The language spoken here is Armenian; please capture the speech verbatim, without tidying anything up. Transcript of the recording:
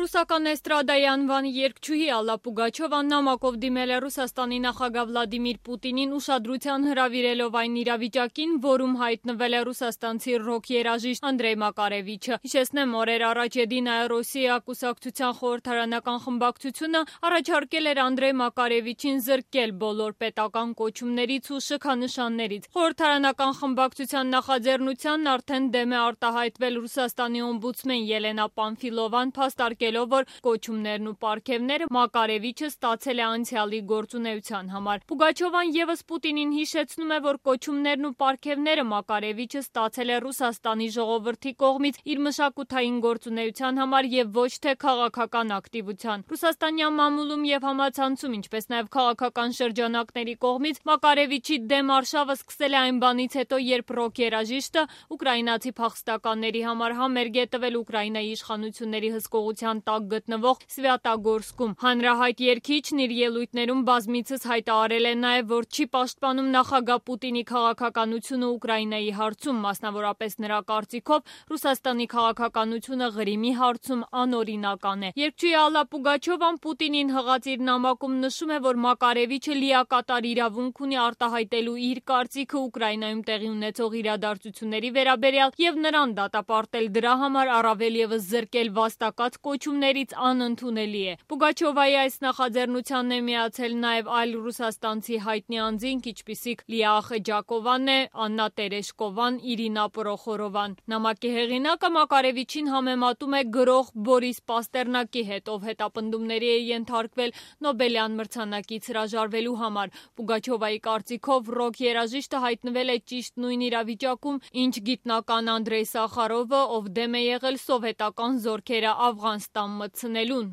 Ռուսական էստրադայի անվան երգչուհի Ալլա Պուգաչովան նամակով դիմել է Ռուսաստանի նախագահ Վլադիմիր Պուտինին ուշադրության հրավիրելով այն իրավիճակին, որում հայտնվել է ռուսաստանցի ռոք երաժիշտ Անդրեյ Մակարևիչը։ Հիշեցնեմ, օրեր առաջ Եդինայա Ռոսիա կուսակցության խորհրդարանական խմբակցությունը առաջարկել էր Անդրեյ Մակարևիչին զրկել բոլոր պետական կոչումներից ու շքանշաններից։ Խորհրդարանական խմբակցության նախաձեռնությանն արդեն դեմ է արտահայտվել Ռուսաստանի օմբուդսմեն Ելենա Պանֆիլովան, փաստարկելով, որ կոչումներն ու պարգևները Մակարևիչը ստացել է անցյալի գործունեության համար։ Պուգաչովան ևս Պուտինին հիշեցնում է, որ կոչումներն ու պարգևները Մակարևիչը ստացել է Ռուսաստանի ժողովրդի կողմից իր մշակութային գործունեության համար եւ ոչ թե քաղաքական ակտիվության։ Ռուսաստանյան մամուլում եւ համացանցում, ինչպես նաեւ քաղաքական շրջանակների կողմից Մակարևիչի դեմ արշավը սկսել է այն բանից հետո, երբ ռոք երաժիշտը ուկրաինացի փախստականների համար համերգ է տվել Ուկրաինայի իշխանությունների հսկողության տակ գտնվող Սվյատագորսկում։ Հանրահայտ երգիչն իր ելույթներում բազմիցս հայտարարել է նաև, որ չի պաշտպանում նախագահ Պուտինի քաղաքականությունը Ուկրաինայի հարցում, մասնավորապես նրա կարծիքով Ռուսաստանի քաղաքականությունը Ղրիմի հարցում անօրինական է։ Երգչուհի Ալլա Պուգաչովան Պուտինին հղած իր նամակում նշում է, որ Մակարևիչը լիակատար իրավունք ունի արտահայտելու իր կարծիքը Ուկրաինայում տեղի ունեցող իրադարձությունների վերաբերյալ եւ նրան դատապարտել դրա համար, առավել ևս զրկել վաստակած կոչումներից անընդունելի է։ Պուգաչովայի այս նախաձեռնությանն է միացել նաև այլ ռուսաստանցի հայտնի անձինք, ինչպիսիք Լիա Խեջակովան է, Աննա Տերեշկովան, Իրինա Պրոխորովան։ Նամակի հեղինակը Մակարևիչին համեմատում է գրող Բորիս Պաստերնակի հետ, ով հետապնդումների է ենթարկվել Նոբելյան մրցանակից հրաժարվելու համար։ Պուգաչովայի կարծիքով ռոք երաժիշտը հայտնվել է ճիշտ նույն իրավիճակում, ինչ գիտնական Անդրեյ Սախարովը, ով դեմ է եղել սովետական զորքերը Աֆղանստան մտցնելուն։